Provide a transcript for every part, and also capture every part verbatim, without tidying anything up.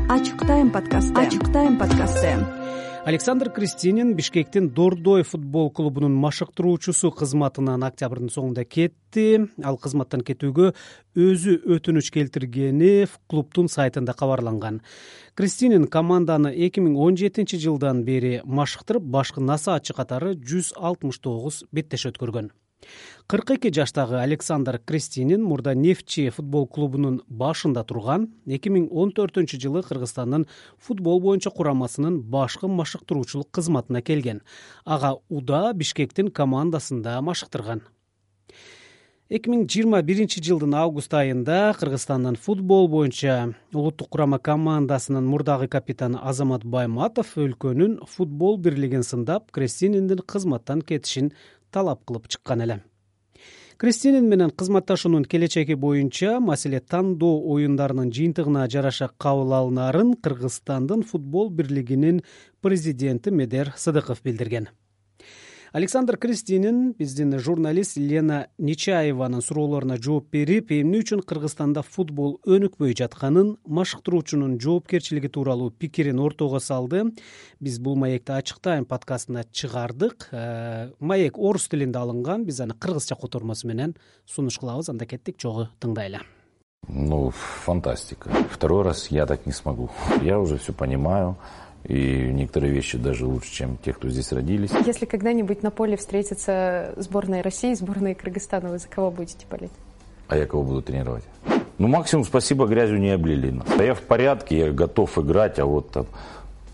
Ачык тайм подкасты. Ачык тайм подкасты. Александр Кристинин Бишкектин Дордой футбол клубунун машыктыруучусу кызматынан октябрдын соңунда кетти. Ал кызматтан кетүүгө өзү өтүнүч келтиргени клубдун сайтында кабарланган. Кристинин команданы эки миң он жетинчи жылдан бери машыктырып, башкы насаатчы катары жүз алтымыш тогуз беттеш өткөргөн. кырк эки жаштагы Александр Кристинин мурда Нефчи футбол клубунун башында турган. эки миң он төртүнчү жылы Кыргызстандын футбол боюнча курамасынын башкы машыктыруучулук кызматына келген. Ага УДА Бишкектин командасында машыктырган. эки миң жыйырма биринчи жылдын август айында Кыргызстандын футбол боюнча улуттук курама командасынын мурдагы капитаны Азамат Байматов өлкөнүн футбол бирлигин сындап, Кристининдин кызматтан кетишин талап кылып чыккан эле. Кристинин менен кызматташуунун келечеги боюнча маселе тандоо оюндарынын жыйынтыгына жараша кабыл алынарын Кыргызстандын футбол бирлигинин президенти Медер Сыдыков билдирген. Александр Кристинин биздин журналист Лена Нечаеванын суроолоруна жооп берип, эмне үчүн Кыргызстанда футбол өнүкпөй жатканын, машыктыруучунун жоопкерчилиги тууралуу пикирин ортого салды. Биз бул маекти Ачык тайм подкастына чыгардык. Маек орус тилинде алынган, биз аны кыргызча котормосу менен сунуш кылабыз. Анда кеттик, чогуу тыңдайлы. Ну, фантастика. Второй раз я так не смогу. Я уже все понимаю. И некоторые вещи даже лучше, чем те, кто здесь родились. Если когда-нибудь на поле встретится сборная России, сборная Кыргызстана, вы за кого будете болеть? А я кого буду тренировать? Ну, максимум, спасибо, грязью не облили нас. А я в порядке, я готов играть, а вот там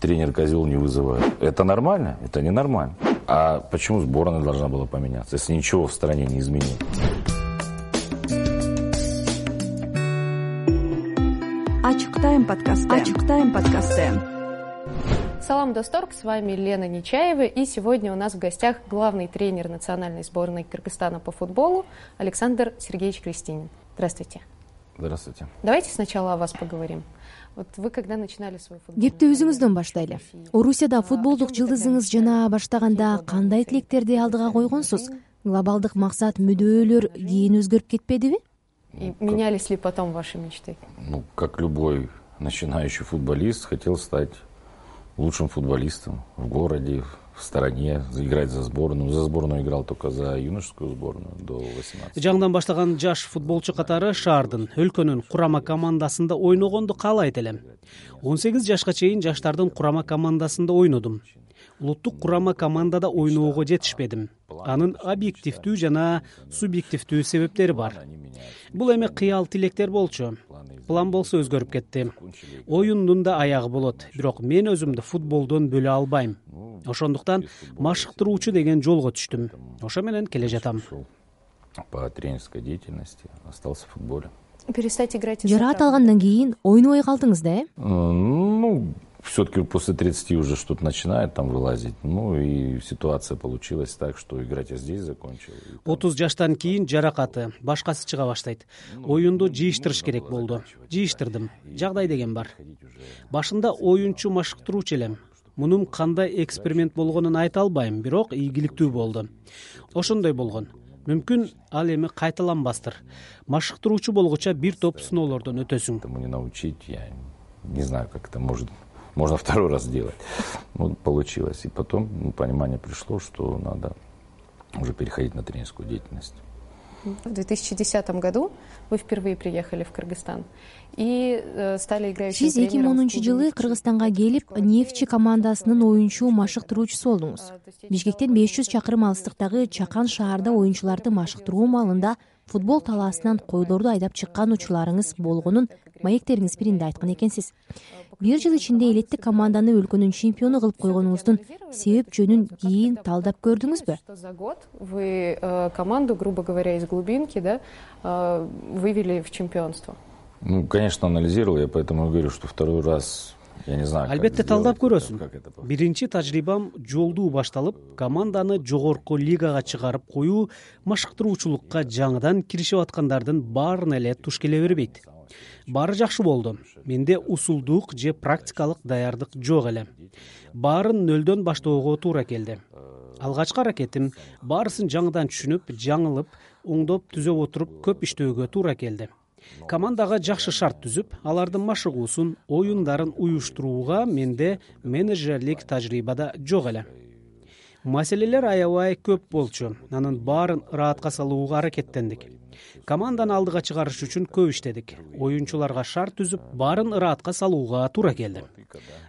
тренер козел не вызывает. Это нормально? Это не нормально. А почему сборная должна была поменяться, если ничего в стране не изменилось? Ачык тайм подкасты. Ачык тайм подкасты. Салам, Досторг, с вами Лена Нечаева, и сегодня у нас в гостях главный тренер национальной сборной Кыргызстана по футболу Александр Сергеевич Кристинин. Здравствуйте. Здравствуйте. Давайте сначала о вас поговорим. Вот вы когда начинали свой футбол? Кепти өзүңүздөн баштайлы. Орусияда футболдук жылдызыңыз жана баштаганда кандай тилектерди алдыга койгонсуз? Глобалдык максат, мүддөөлөр кийин өзгөрүп кетпедиби? И менялись ли потом ваши мечты? Ну, как любой начинающий футболист, хотел стать лучшим футболистом в городе, в стране, играть за сборную. За сборную играл только за юношескую сборную до восемнадцати. Жаңыдан баштаган жаш футболчу катары шаардын, өлкөнүн курама командасында ойногонду каалайт элем. он сегиз жашка чейин жаштардын курама командасында ойнодум. Улуттук курама командада ойноого жетишпедим. Анын объективдүү жана субъективдүү себептери бар. Бул эми кыял тилектер болчу. План болсо өзгөрүп кетти. Оюндун да аягы болот, бирок мен өзүмдү футболдон бөлө албайм. Ошондуктан машыктыруучу деген жолго түштүм. Ошо менен келе жатам. По тренерской деятельности остался в футболе. Перестать играть. Жараат алгандан кийин ойнобой калдыңыз да, э? Ну, все-таки после тридцати уже что-то начинает там вылазить. Ну и ситуация получилась так, что играть я здесь закончил. отуз жаштан кийин жаракаты, башкасы чыга баштайт. Оюнду жыйыштырыш керек болду. Жыйыштырдым. Жагдай деген бар. Башында оюнчу машыктыруучу элем. Мунун кандай эксперимент болгонун айта албайм, бирок ийгиликтүү болду. Ошондой болгон. Мүмкүн ал эми кайталанбастыр. Машыктыруучу болгуча бир топ сыноолордон өтөсүң. Этому не научить, я не знаю, как это может. Можно второй раз сделать. Ну, получилось. И потом ну, понимание пришло, что надо уже переходить на тренерскую деятельность. В две тысячи десятом году вы впервые приехали в Кыргызстан и э, стали играющим Сиз эки миң онунчу жылы Кыргызстанга келип, Нефчи командасынын оюнчу машыктыруучусу болдуңуз. Бишкектен беш жүз чакырым алыстыктагы Чакан шаарда оюнчуларды машыктыруу маалында футбол талаасынан койлорду айдап чыккан учурларыңыз болгонун маектериңиз биринде айткан экенсиз. Бир жыл ичинде элеттик команданы өлкөнүн чемпиону кылып койгонуңуздун себеп жөнүн кийин талдап көрдүңүзбү? За год вы команду, грубо говоря, из глубинки, да, вывели в чемпионство. Ну, конечно, анализировал, я поэтому говорю, что второй раз я не знаю. Албетте талдап көрөсүң. Биринчи тажрыйбам жолдуу башталып, команданы жогорку лигага чыгарып коюу машыктыруучулукка жаңыдан киришип аткандардын баарына эле туш келе бербейт. Баары жакшы болду. Менде усулдук же практикалык даярдык жок эле. Баарын нөлдөн баштоого туура келди. Алгачкы аракетим баарысын жаңыдан түшүнүп, жаңылып, оңдоп түзөп отуруп көп иштөөгө туура келди. командага жакшы шарт түзүп, алардын машыгуусун, оюндарын уюштурууга менде менеджерлик тажрыйба да жок эле. Маселелер аябай көп болчу. Анын баарын ыраатка салууга аракеттендик. Команданы алдыга чыгарыш үчүн көп иштедик. Оюнчуларга шарт түзүп, баарын ыраатка салууга туура келди.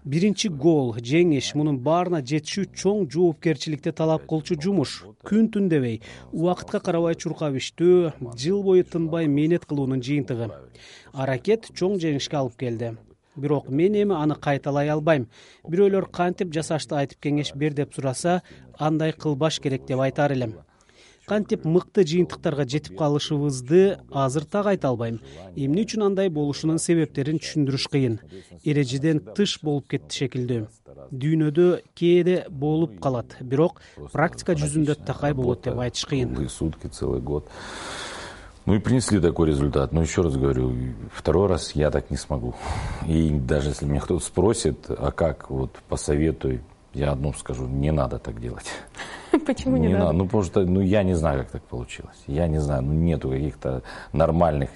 Биринчи гол, жеңиш, мунун баарына жетишүү чоң жоопкерчиликти талап кылчу жумуш. Күн түн дебей, убакытка карабай чуркап иштөө, жыл бою тынбай мээнет кылуунун жыйынтыгы. Аракет чоң жеңишке алып келди. Бирок мен эми аны кайталай албайм. Бирөөлөр кантип жасашты айтып кеңеш бер деп сураса, андай кылбаш керек деп айтар элем. Кантип мыкты жыйынтыктарга жетип калышыбызды азыр так айта албайм. Эмне үчүн андай болушунун себептерин түшүндүрүш кыйын. Эрежеден тыш болуп кетти шекилдүү. Дүйнөдө кээде болуп калат, бирок практика жүзүндө такай болот деп айтыш кыйын. Сутки, целый год. Ну и принесли такой результат. Но еще раз говорю, второй раз я так не смогу. И даже если меня кто-то спросит, а как, вот посоветуй, я одно скажу, не надо так делать. Почему не, не надо? надо? Ну потому что ну, я не знаю, как так получилось. Я не знаю, ну нету каких-то нормальных,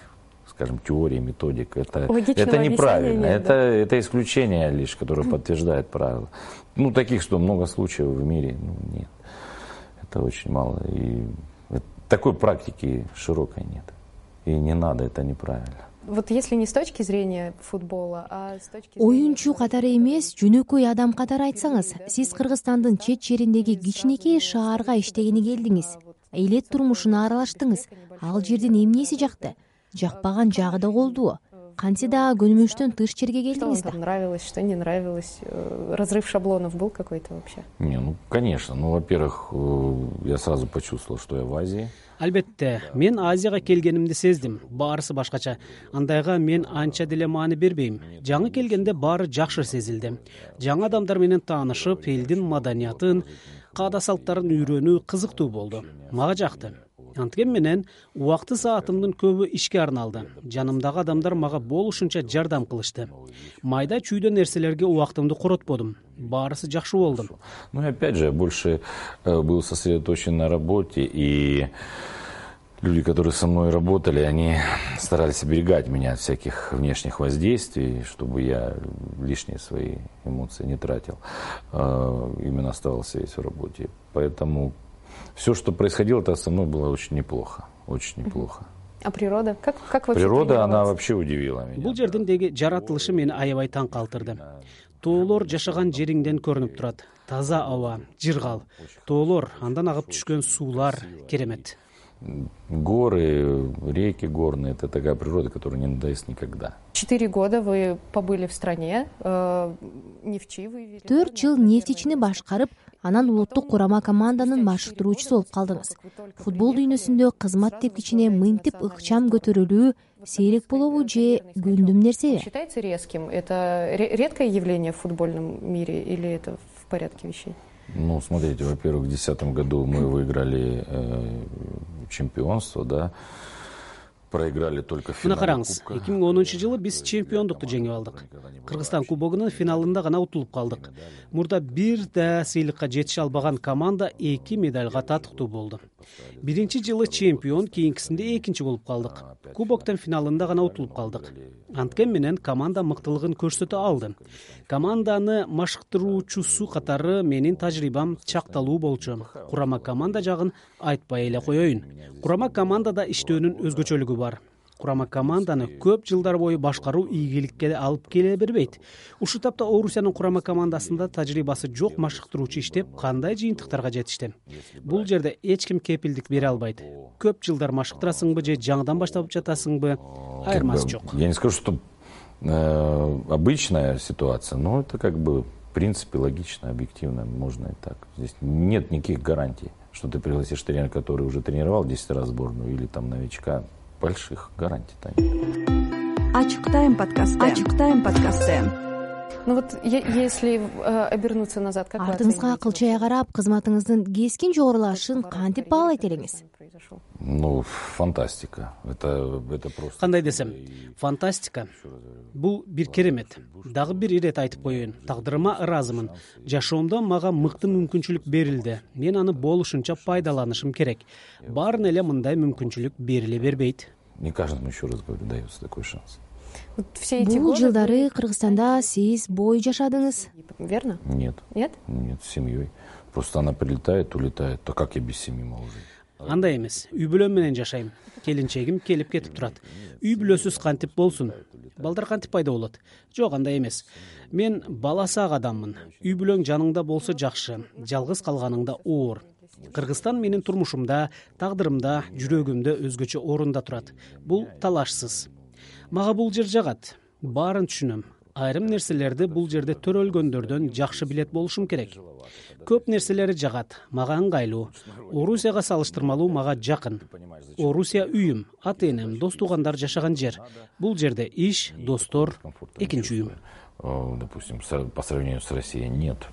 скажем, теорий, методик. Это, это неправильно. Нет, это, да? это исключение лишь, которое подтверждает правила. Ну таких, что много случаев в мире, ну нет. Это очень мало. И такой практики широкой нет. И не надо, это неправильно. Вот если не с точки зрения футбола, а с точки зрения... Оюнчу катары эмес, жөнөкөй адам катары айтсаңыз, сиз Кыргызстандын чет жериндеги кичинекей шаарга иштегени келдиңиз. Элет турмушуна аралаштыңыз. Ал жердин эмнеси жакты? Жакпаган жагы да болду. Кантсе да көнүмүштөн тыш жерге келдиңиз да? Что вам нравилось, что не нравилось? Разрыв шаблонов был какой-то вообще? Не, ну, конечно. Ну, во-первых, я сразу почувствовал, что я в Азии. Албетте, мен Азияга келгенимди сездим. Баарысы башкача. Андайга мен анча деле маани бербейм. Жаңы келгенде баары жакшы сезилди. Жаңы адамдар менен таанышып, элдин маданиятын, каада салттарын үйрөнүү кызыктуу болду. Мага жакты. Анткен менен убакты саатымдын көбү ишке арналды. Жанымдагы адамдар мага болушунча жардам кылышты. Майда чүйдө нерселерге убактымды коротподум. Баарысы жакшы болду. Ну и опять же, больше был сосредоточен на работе, и люди, которые со мной работали, они старались оберегать меня от всяких внешних воздействий, чтобы я лишние свои эмоции не тратил. Именно оставался весь в работе. Поэтому все, что происходило, это со мной было очень неплохо, очень неплохо. А природа? Как, как вообще Природа, она вообще удивила меня. Бул жердин деги жаратылышы мени аябай таң калтырды. Тоолор жашаган жериңден көрүнүп турат. Таза аба, жыргал. Тоолор, андан агып түшкөн суулар керемет. Горы, реки горные, это такая природа, которая не надоест никогда. Четыре года вы побыли в стране, э, нефтчи вы... Төрт жыл нефтичини башкарып, анан улуттук курама команданын машыктыруучусу болуп калдыңыз. Футбол дүйнөсүндө кызмат тепкичине мынтип ыкчам көтөрүлүү сейрек болобу же күндүм нерсеби? Считается резким? Это редкое явление в футбольном мире или это в порядке вещей? Ну, смотрите, во-первых, в две тысячи десятом году мы выиграли э, чемпионство, да, проиграли только в финале. Мына караңыз, эки миң онунчу жылы биз чемпиондукту жеңип алдык. Кыргызстан кубогунун финалында гана утулуп калдык. Мурда бир да сыйлыкка жетише албаган команда эки медальга татыктуу болду. Биринчи жылы чемпион, кийинкисинде экинчи болуп калдык. Кубоктун финалында гана утулуп калдык. Анткен менен команда мыктылыгын көрсөтө алды. Команданы машыктыруучусу катары менин тажрыйбам чакталуу болчу. Курама команда жагын айтпай эле коеюн. Курама командада иштөөнүн өзгөчөлүгү бар. Курама команданы көп жылдар бою башкаруу ийгиликке алып келе бербейт. Ушул тапта Орусиянын курама командасында тажрыйбасы жок машыктыруучу иштеп, кандай жыйынтыктарга жетишти? Бул жерде эч ким кепилдик бере албайт. Көп жылдар машыктырасыңбы же жаңыдан баштап жатасыңбы? Айырмасы жок. Я не скажу, что э, обычная ситуация, но это как бы в принципе логично, объективно, можно и так. Здесь нет никаких гарантий, что ты пригласишь тренера, который уже тренировал десять раз сборную, или там новичка. Больших гарантий там нет. Ачык тайм подкасты. Ачык тайм подкасты. Ну вот если э, обернуться назад, как вы оцениваете? Артыңызга кылчая карап, кызматыңыздын кескин жогорулашын кантип баалайт элеңиз? Ну, фантастика. Это, это просто... Кандай десем, фантастика. Бул бир керемет. Дагы бир ирет айтып коеюн. Тагдырыма ыраазымын. Жашоомдо мага мыкты мүмкүнчүлүк берилди. Мен аны болушунча пайдаланышым керек. Баарын эле мындай мүмкүнчүлүк бериле бербейт. Не каждому, еще раз говорю, дается такой шанс. Бул жылдары Кыргызстанда сиз бой жашадыңыз. Верно? Нет. Нет? Нет, с семьей. Просто она прилетает, улетает. То как я без семьи могу жить? Андай эмес. Үй бүлөм менен жашайм. Келинчегим келип кетип турат. Үй бүлөсүз кантип болсун? Балдар кантип пайда болот? Жок, андай эмес. Мен баласы ак адаммын. Үй бүлөң жаныңда болсо жакшы, жалгыз калганыңда оор. Кыргызстан менин турмушумда, тагдырымда, жүрөгүмдө өзгөчө орунда турат. Бул талашсыз. Мага бул жер жагат. Баарын түшүнөм. Айрым нерселерди бул жерде төрөлгөндөрдөн жакшы билет болушум керек. Көп нерселери жагат, мага ыңгайлуу. Орусияга салыштырмалуу мага жакын. Орусия үйүм, ата-энем, дос-туугандар жашаган жер. Бул жерде иш, достор, экинчи үйүм. Допустим, по сравнению с Россией нет.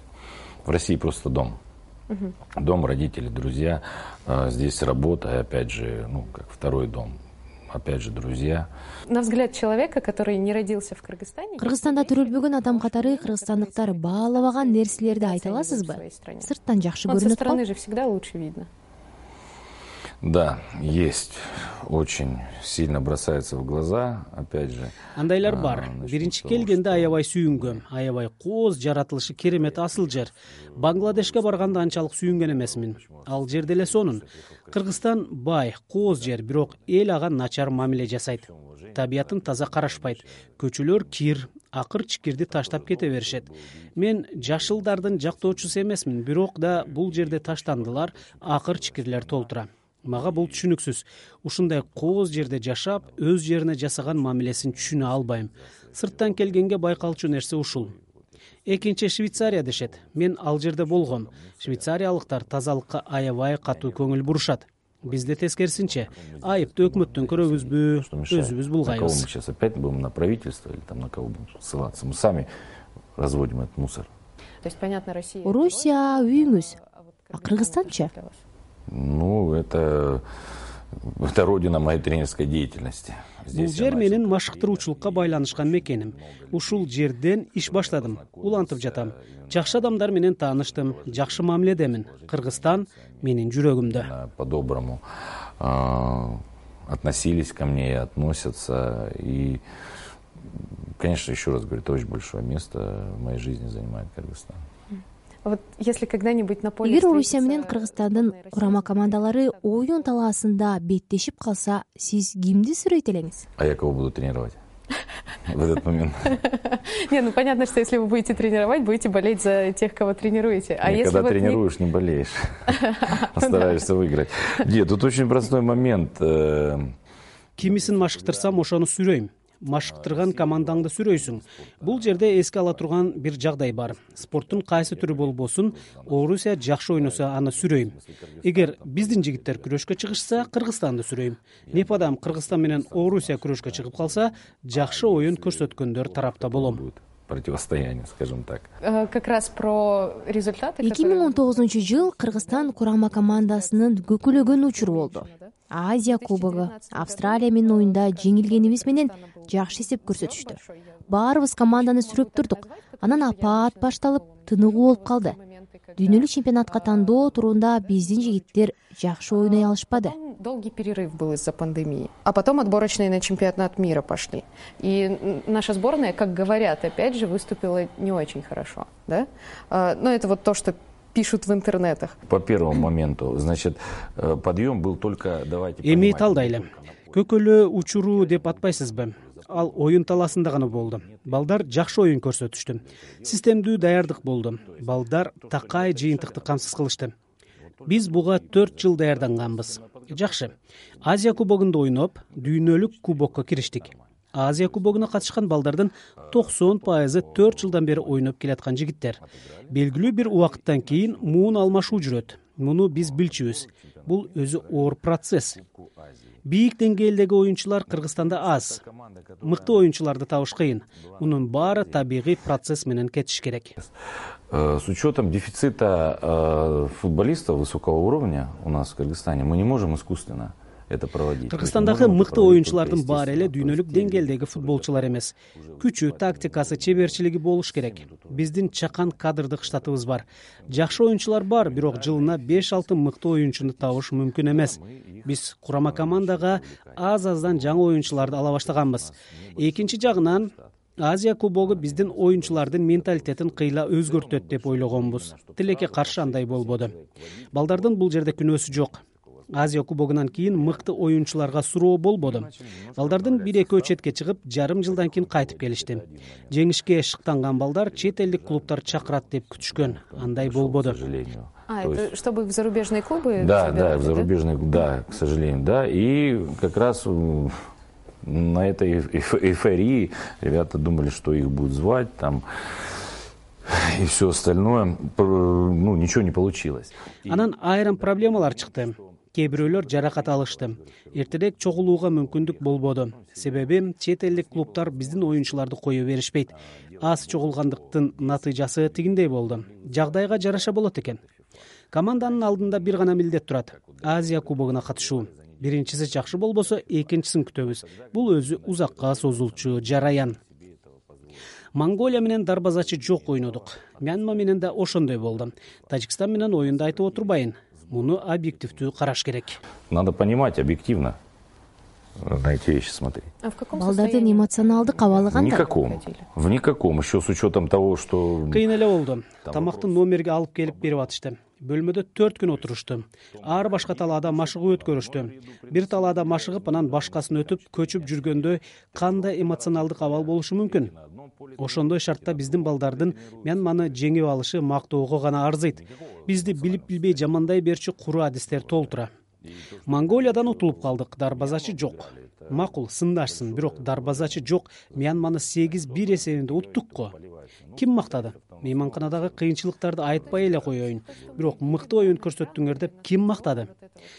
В России просто дом. Дом, родители, друзья. Здесь работа, и опять же, ну, как второй дом. Опять же, друзья. На взгляд человека, который не родился в Кыргызстане... Кыргызстанда төрөлбөгөн адам катары кыргызстандыктар баалабаган нерселерди айта аласызбы? Сырттан жакшы көрүнөт го. Со стороны же всегда лучше видно. Да, есть. Очень сильно бросается в глаза, опять же. Андайлар бар. Биринчи келгенде аябай сүйүнгөм. Аябай кооз, жаратылышы керемет асыл жер. Бангладешке барганда анчалык сүйүнген эмесмин. Ал жер деле сонун. Кыргызстан бай, кооз жер, бирок эл ага начар мамиле жасайт. Табиятын таза карашпайт. Көчөлөр кир, акыр-чикирди таштап кете беришет. Мен жашылдардын жактоочусу эмесмин, бирок да бул жерде таштандылар, акыр-чикирлер толтура. Мага бул түшүнүксүз. Ушундай кооз жерде жашап, өз жерине жасаган мамилесин түшүнө албайм. Сырттан келгенге байкалчу нерсе ушул. Экинчи Швейцария дешет. Мен ал жерде болгом. Швейцариялыктар тазалыкка аябай катуу көңүл бурушат. Бизде тескерисинче, айыпты өкмөттөн көрөбүзбү, өзүбүз булгайбыз. На кого мы сейчас опять будем, на правительство или там на кого будем ссылаться? Мы сами разводим этот мусор. То есть, понятно, Россия... Орусия үйүңүз, а Кыргызстанчы? Ну, это, это родина моей тренерской деятельности. Бул жер менин машыктыруучулукка байланышкан мекеним. Ушул жерден иш баштадым. Улантып жатам. Жакшы адамдар менен тааныштым, жакшы мамиледемин. Кыргызстан менин жүрөгүмдө. По-доброму относились ко мне и относятся. И, конечно, еще раз говорю, это очень большое место в моей жизни занимает Кыргызстан. Вот если когда-нибудь на поле... Эгер Орусия менен Кыргызстандын курама командалары оюн талаасында беттешип калса, сиз кимди сүрөйт элеңиз? А я кого буду тренировать в этот момент? Не, ну понятно, что если вы будете тренировать, будете болеть за тех, кого тренируете. А если когда тренируешь, не болеешь, стараешься выиграть. Нет, тут очень простой момент. Кимисин машыктырсам, ошону сүрөйм. Машыктырган командаңды сүрөйсүң. Бул жерде эске ала турган бир жагдай бар. Спорттун кайсы түрү болбосун, Орусия жакшы ойносо аны сүрөйм. Эгер биздин жигиттер күрөшкө чыгышса, Кыргызстанды сүрөйм. Непадам Кыргызстан менен Орусия күрөшкө чыгып калса, жакшы оюн көрсөткөндөр тарапта болом. Противостояние, скажем так. Как раз про результаты. эки миң он тогузунчу жыл Кыргызстан курама командасынын көкүлөгөн учуру болду. Азия кубогу, Австралия менен оюнда жеңилгенибиз менен жакшы эсеп көрсөтүштү. Баарыбыз команданы сүрөп турдук. Анан апаат башталып, тыныгуу болуп калды. Дүйнөлүк чемпионатка тандоо туруунда биздин жигиттер жакшы ойной алышпады. Долгий перерыв был из-за пандемии. А потом отборочные на чемпионат мира пошли. И наша сборная, как говорят, опять же, выступила не очень хорошо. Да? Но это вот то, что пишут в интернетах. По первому моменту, значит, подъем был только... давайте эми талдайлы. Көкөлө учуру деп атпайсызбы? Ал оюн таласында гана болду. Балдар жакшы оюн көрсөтүштү. Системдүү даярдык болду. Балдар такай жыйынтыкты камсыз кылышты. Биз буга төрт жыл даярданганбыз. Жакшы. Азия кубогунда ойноп, дүйнөлүк кубокко кириштик. Азия кубогуна катышкан балдардын токсон пайызы төрт жылдан бери ойноп келаткан жигиттер. Белгилүү бир убакыттан кийин муун алмашуу жүрөт. Муну биз билчүбүз. Бул өзү оор процесс. Бийик деңгээлдеги оюнчулар Кыргызстанда аз. Мыкты оюнчуларды табыш кыйын. Мунун баары табигый процесс менен кетиш керек. С учетом дефицита футболистов высокого уровня у нас в Кыргызстане мы не можем искусственно это проводить. Кыргызстандагы мыкты оюнчулардын баары эле дүйнөлүк деңгээлдеги футболчулар эмес. Күчү, тактикасы, чеберчилиги болуш керек. Биздин чакан кадрдык штатыбыз бар. Жакшы оюнчулар бар, бирок жылына беш алты мыкты оюнчуну табыш мүмкүн эмес. Биз курама командага аз-аздан жаңы оюнчуларды ала баштаганбыз. Экинчи жагынан Азия кубогу биздин оюнчулардын менталитетин кыйла өзгөртөт деп ойлогонбуз. Тилекке каршы андай болбоду. Балдардын бул жерде күнөөсү жок. Азия кубогунан кийин мыкты оюнчуларга суроо болбоду. Балдардын бир экөө четке чыгып, жарым жылдан кийин кайтып келишти. Жеңишке шыктанган балдар чет элдик клубтар чакырат деп күтүшкөн. Андай болбоду. А, это есть... чтобы в зарубежные клубы? Да, да, в зарубежные, да, к сожалению, да. И как раз на этой эйфории ребята думали, что их будут звать там и все остальное. Ну, ничего не получилось. Анан айрым проблемалар чыкты. Кээ бирөөлөр жаракат алышты. Эртерээк чогулууга мүмкүндүк болбоду. Себеби чет элдик клубтар биздин оюнчуларды кое беришпейт. Аз чогулгандыктын натыйжасы тигиндей болду. Жагдайга жараша болот экен. Команданын алдында бир гана милдет турат. Азия кубогуна катышуу. Биринчиси жакшы болбосо, экинчисин күтөбүз. Бул өзү узакка созулчу жараян. Монголия менен дарбазачы жок ойнодук. Мьянма менен да ошондой болду. Тажикстан менен оюнду айтып отурбайын. Муну объективдүү караш керек. Надо понимать объективно на эти вещи смотреть. А в каком Балдардын эмоционалдык абалы кандай? Никаком. В никаком. Еще с учетом того, что... Кыйын эле болду. Тамакты номерге алып келип берип атышты. Бөлмөдө төрт күн отурушту. Ар башка талаада машыгуу өткөрүштү. Бир талаада машыгып, анан башкасын өтүп, көчүп жүргөндө кандай эмоционалдык абал болушу мүмкүн? Ошондой шартта биздин балдардын Мьянманы жеңип алышы мактоого гана арзыйт. Бизди билип билбей жамандай берчү куру адистер толтура. Монголиядан утулуп калдык, дарбазачы жок. Макул, сындашсын, бирок дарбазачы жок. Мьянманы сегиз бир эсебинде уттук го. Ким мактады? Мейманканадагы кыйынчылыктарды айтпай эле коеюн. Бирок мыкты оюн көрсөттүңөр деп ким мактады?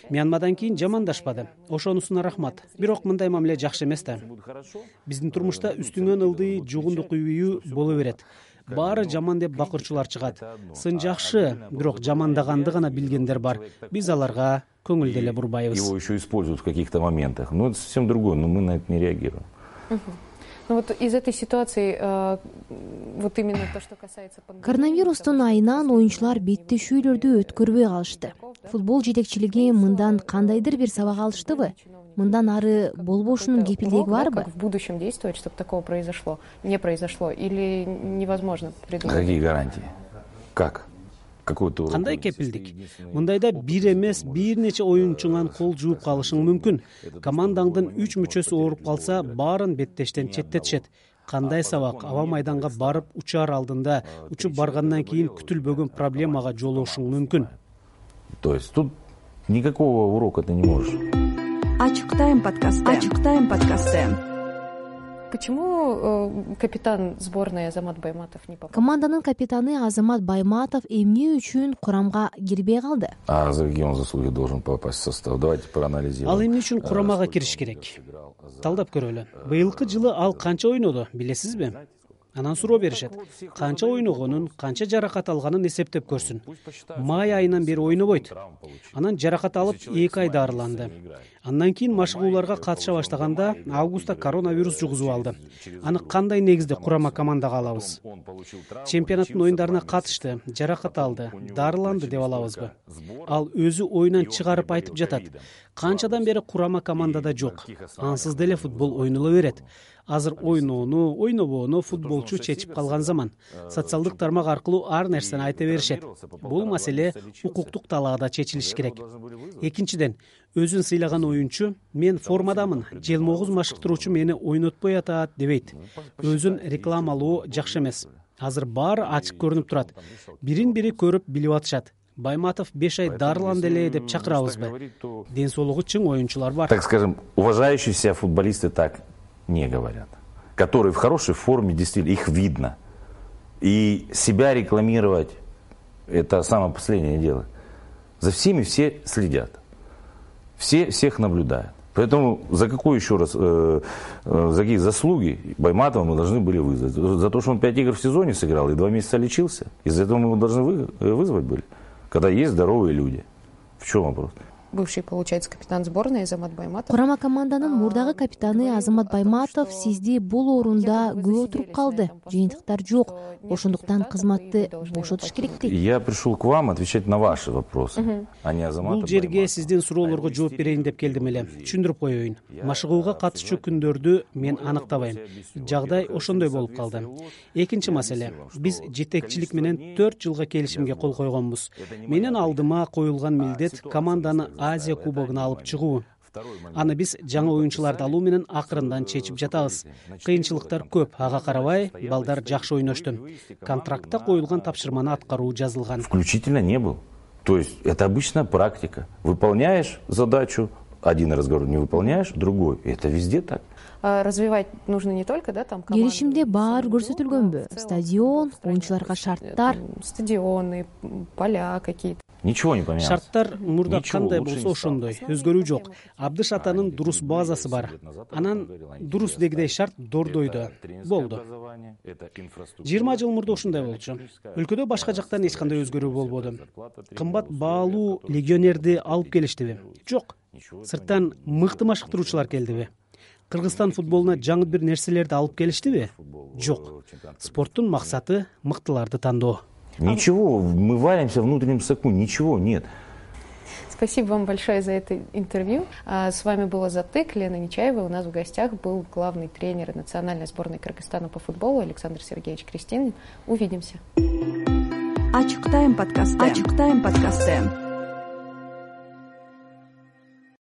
Мьянмадан кийин жамандашпады. Ошонусуна рахмат. Бирок мындай мамиле жакшы эмес да. Биздин турмушта үстүңөн ылдый, жугундук үйүү боло берет. Баары жаман деп бакырчулар чыгат. Сын жакшы, бирок жамандаганды гана билгендер бар. Биз аларга көңүл деле бурбайбыз. Его еще используют в каких-то моментах. Но это совсем другое, но мы на это не реагируем. Ну вот из этой ситуации, э, вот именно то, что касается... Коронавирустун айынан оюнчулар беттешүүлөрдү өткөрбөй калышты. Футбол жетекчилиги мындан кандайдыр бир сабак алыштыбы? Мындан ары болбошунун кепилдиги барбы? Как в будущем действовать, чтобы такого произошло, не произошло? Или невозможно придумать? Какие гарантии? Как? Кандай кепилдик? Мындайда бир эмес, бир нече оюнчуңан кол жууп калышың мүмкүн. Командаңдын үч мүчөсү ооруп калса, баарын беттештен четтетишет. Кандай сабак? Аба майданга барып учаар алдында, учуп баргандан кийин күтүлбөгөн проблемага жолугушуң мүмкүн. То есть тут никакого урока ты не можешь. Ачык тайм подкасты. Ачык тайм подкасты. Почему э, капитан сборной Азамат Байматов не попал? Команданын капитаны Азамат Байматов эмне үчүн курамга кирбей калды? А за какие он заслуги должен попасть в состав? Давайте проанализируем. Ал эмне үчүн курамага кириш керек? Талдап көрөлү. Быйылкы жылы ал канча ойноду, билесизби? Анан суроо беришет. Канча ойногонун, канча жаракат алганын эсептеп көрсүн. Май айынан бери ойнобойт. Анан жаракат алып эки ай дарыланды. Андан кийин машыгууларга катыша баштаганда августта коронавирус жугузуп алды. Аны кандай негизде курама командага алабыз? Чемпионаттын оюндарына катышты, жаракат алды, дарыланды деп алабызбы? Ал өзү оюнан чыгарып айтып жатат. Канчадан бери курама командада жок. Ансыз деле футбол ойнола берет. Азыр ойноону, ойнобоону футболчу чечип калган заман. Социалдык тармак аркылуу ар нерсени айта беришет. Бул маселе укуктук талаада чечилиш керек. Экинчиден, өзүн сыйлаган оюнчу мен формадамын, желмогуз машыктыруучу мени ойнотпой атат дебейт. Өзүн рекламалоо жакшы эмес. Азыр баары ачык көрүнүп турат. Бирин бири көрүп билип атышат. Байматов беш ай дарыланды эле деп чакырабызбы? Ден соолугу чың оюнчулар бар. Так скажем, уважающие себя футболисты так не говорят. Которые в хорошей форме, действительно, их видно. И себя рекламировать – это самое последнее дело. За всеми все следят. Все всех наблюдают. Поэтому за какой еще раз, э, э, за какие заслуги Байматова мы должны были вызвать? За то, что он пять игр в сезоне сыграл и два месяца лечился? Из-за этого мы его должны вы, вызвать были? Когда есть здоровые люди. В чем вопрос? бывший, получается, капитан сборной Азамат Байматов. Курама команданын мурдагы капитаны Азамат Байматов сизди бул орунда көп отуруп калды. Жыйынтыктар жок. Ошондуктан кызматты бошотуш керек дейт. Я пришел к вам отвечать на ваши вопросы, а не Азамата. Бул жерге сиздин суроолорго жооп берейин деп келдим эле. Түшүндүрүп коеюн. Машыгууга катышчу күндөрдү мен аныктабайм. Жагдай ошондой болуп калды. Экинчи маселе. Биз жетекчилик менен төрт жылга келишимге кол койгонбуз. Менин алдыма коюлган милдет команданы Азия кубогуна алып чыгуу. Аны биз жаңы оюнчуларды алуу менен акырындан чечип жатабыз. Кыйынчылыктар көп, ага карабай, балдар жакшы ойношту. Контрактта коюлган тапшырманы аткаруу жазылган. Включительно не был. То есть это обычная практика. Выполняешь задачу, один разговор, не выполняешь, другой. Это везде так. Развивать нужно не только, да, там команду. Келишимде баары көрсөтүлгөнбү? Стадион, оюнчуларга шарттар, стадионы, поля какие-то. Ничего не поменялось. Шарттар мурда кандай болсо ошондой, өзгөрүү жок. Абдыш атанын дурус базасы бар. Анан дурус дегидей шарт Дордойдо болду. жыйырма жыл мурда ушундай болчу. Өлкөдө башка жактан эч кандай өзгөрүү болбоду. Кымбат баалуу легионерди алып келиштиби? Жок. Сырттан мыкты машыктыруучулар келдиби? Кыргызстан футболуна жаңы бир нерселерди алып келиштиби? Жок. Спорттун максаты мыктыларды тандоо. Ничего, мы варимся в внутреннем соку, ничего нет. Спасибо вам большое за это интервью. С вами была Затык, Лена Нечаева. У нас в гостях был главный тренер национальной сборной Кыргызстана по футболу Александр Сергеевич Крестинин. Увидимся. Ачык тайм подкасты. Ачык тайм подкасты.